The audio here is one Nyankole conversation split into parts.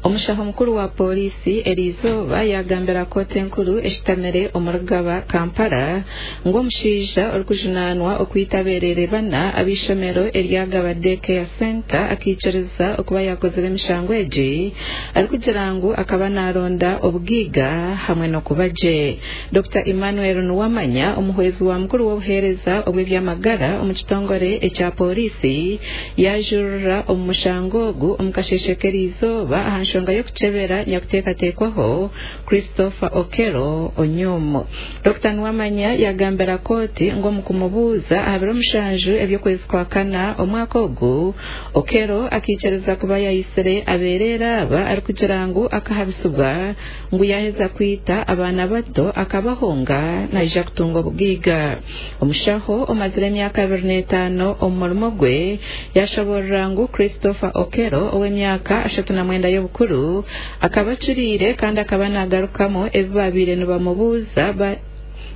Omushaho mukuru wa pooriisi eriizooba yaagambira kooti enkuru eshutamire omuri Gaba, Kampala ngu omushaija orikujunaanwa okwita abereere bana ab'eishomero erya Gaba Day Care Centre akaikiriza okuba yaakozire emishango egi arikugira ngu akaba naaronda obugaiga hamwe n'okuba gye. Dokita Emmanuel Nuwamanya, omuhwezi wa mukuru w'obuheereza obw'eby'amagara omu kitongore ekya pooriisi yaajurira omu mushango ogu omu kasheeshe k'eriizooba aha nshonga y'okukyebera nyakuteekateekwaho Christopher Okello Onyum. Dokita Nuwamanya yaagambira kooti ngu omu kumubuuza aha biro mushanju eby'okwezi kwa kana omwaka ogu, Okello akaikiriza kuba yaitsire abeereere aba arikugira ngu akahabisibwa ngu yaaheza kwita abaana bato akabahonga naija kutunga obugaiga. Omushaho omazire emyaka 25 omu murimo gwe yaashoboorora ngu Christopher Okello ow'emyaka 39 y'obukuru akaba acuriire kandi akaba naagarukamu ebi baabaire nibamubuuza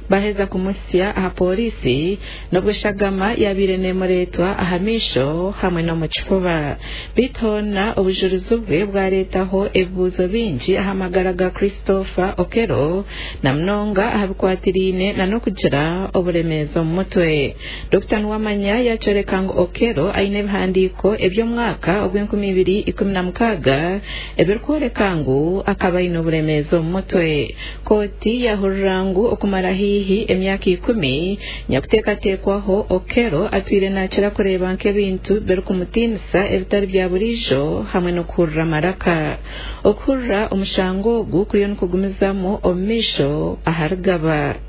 baheza kumuhitsya aha pooriisi n'obu eshagama yaabaire neemureetwa aha maisho hamwe n'omu kifuba. Beitu hoona obujurizi bwe bwareetaho ebibuuzo bingi aha magara ga Christopher Okello na munonga aha bikwatiraine n'okugira oburemeezi omu mutwe. Dokita Nuwamanya yaakyoreka ngu Okello aine ebihandiiko eby'omwaka ogw'enkumi ibiri ikumi na mukaaga ebirikworeka ngu akaba aine oburemeezi omu mutwe. Kooti yaahurira ngu okumara haihi emyaka ikumi, nyakuteekateekwaho Okello atwire naakira kureeba nk'ebintu birikumutiinisa ebitari bya buriijo hamwe n'okuhurira amaraka. Okuhurira omushango ogu kuriyo nikugumizamu omu maisho ahari Gaba.